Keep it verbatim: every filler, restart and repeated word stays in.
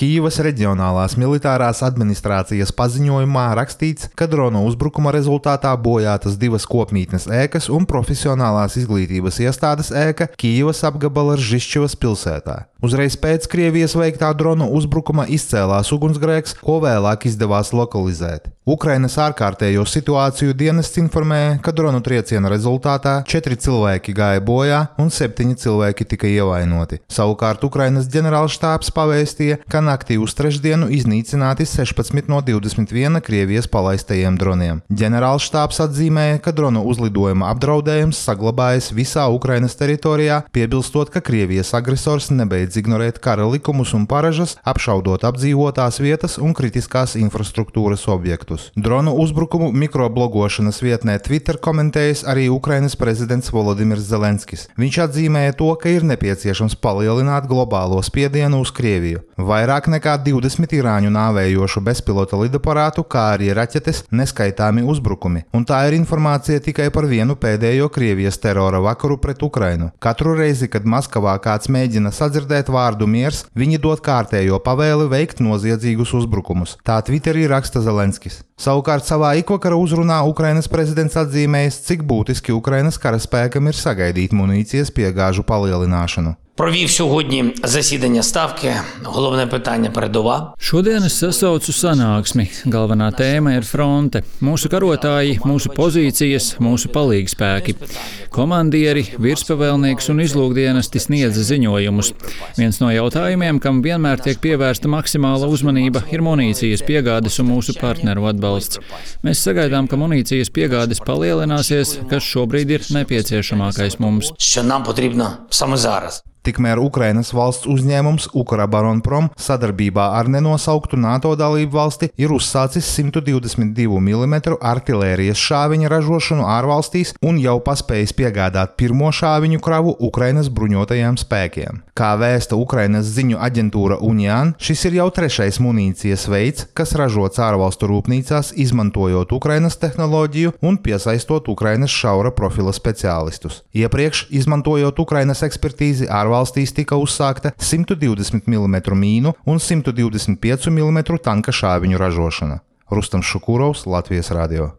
Kijivas reģionālās militārās administrācijas paziņojumā rakstīts, ka drona uzbrukuma rezultātā bojātas divas kopmītnes ēkas un profesionālās izglītības iestādes ēka Kijivas apgabala Ržišķivas pilsētā. Uzreiz pēc Krievijas veiktā drona uzbrukuma izcēlās ugunsgrēks, ko vēlāk izdevās lokalizēt. Ukrainas ārkārtējo situāciju dienests informēja, ka dronu trieciena rezultātā četri cilvēki gāja bojā un septiņi cilvēki tika ievainoti. Savukārt Ukrainas ģenerālštābs pavēstīja, ka naktī uz trešdienu iznīcināti sešpadsmit no divdesmit viena Krievijas palaistajiem droniem. Ģenerālštābs atzīmēja, ka dronu uzlidojuma apdraudējums saglabājas visā Ukrainas teritorijā, piebilstot, ka Krievijas agresors nebeidz ignorēt kara likumus un paražas, apšaudot apdzīvotās vietas un kritiskās infrastruktūras objektus. Dronu uzbrukumu mikroblogošanas vietnē Twitter komentējis arī Ukrainas prezidents Volodimirs Zelenskis. Viņš atzīmēja to, ka ir nepieciešams palielināt globālo spiedienu uz Krieviju. Vairāk nekā divdesmit irāņu nāvējošu bezpilota lidaparātu, kā arī raķetes, neskaitāmi uzbrukumi. Un tā ir informācija tikai par vienu pēdējo Krievijas terora vakaru pret Ukrainu. Katru reizi, kad Maskavā kāds mēģina sadzirdēt vārdu miers, viņi dod kārtējo pavēli veikt noziedzīgus uzbrukumus. Tā Twitterī raksta Zelenskis. Savukārt savā ikvakara uzrunā Ukrainas prezidents atzīmējis, cik būtiski Ukrainas karaspēkam ir sagaidīt munīcijas piegāžu palielināšanu. Провів сьогодні засідання Ставки. Головне питання – передова. Šodien es sasaucu sanāksmi. Galvenā tēma ir fronte. Mūsu karotāji, mūsu pozīcijas, mūsu palīgspēki. Komandieri, virspavēlnieks un izlūkdienesti sniedza ziņojumus. Viens no jautājumiem, kam vienmēr tiek pievērsta maksimāla uzmanība, ir munīcijas piegādes un mūsu partneru atbalsts. Mēs sagaidām, ka munīcijas piegādes palielināsies, kas šobrīd ir nepieciešamākais mums. Що нам потрібно саме зараз. Tikmēr Ukrainas valsts uzņēmums Ukrbāronprom sadarbībā ar nenosauktu NATO dalību valsti ir uzsācis simt divdesmit divu milimetru artilērijas šāviņa ražošanu ārvalstīs un jau paspējis piegādāt pirmo šāviņu kravu Ukrainas bruņotajiem spēkiem. Kā vēsta Ukrainas ziņu aģentūra Unian, šis ir jau trešais munīcijas veids, kas ražots ārvalstu rūpnīcās, izmantojot Ukrainas tehnoloģiju un piesaistot Ukrainas šaura profila speciālistus. Iepriekš, izmantojot Ukrainas ekspertīzi, ārvalstīs tika uzsākta simt divdesmit milimetru mīnu un simt divdesmit piecu milimetru tanka šāviņu ražošana. Rustams Šukurovs, Latvijas radio.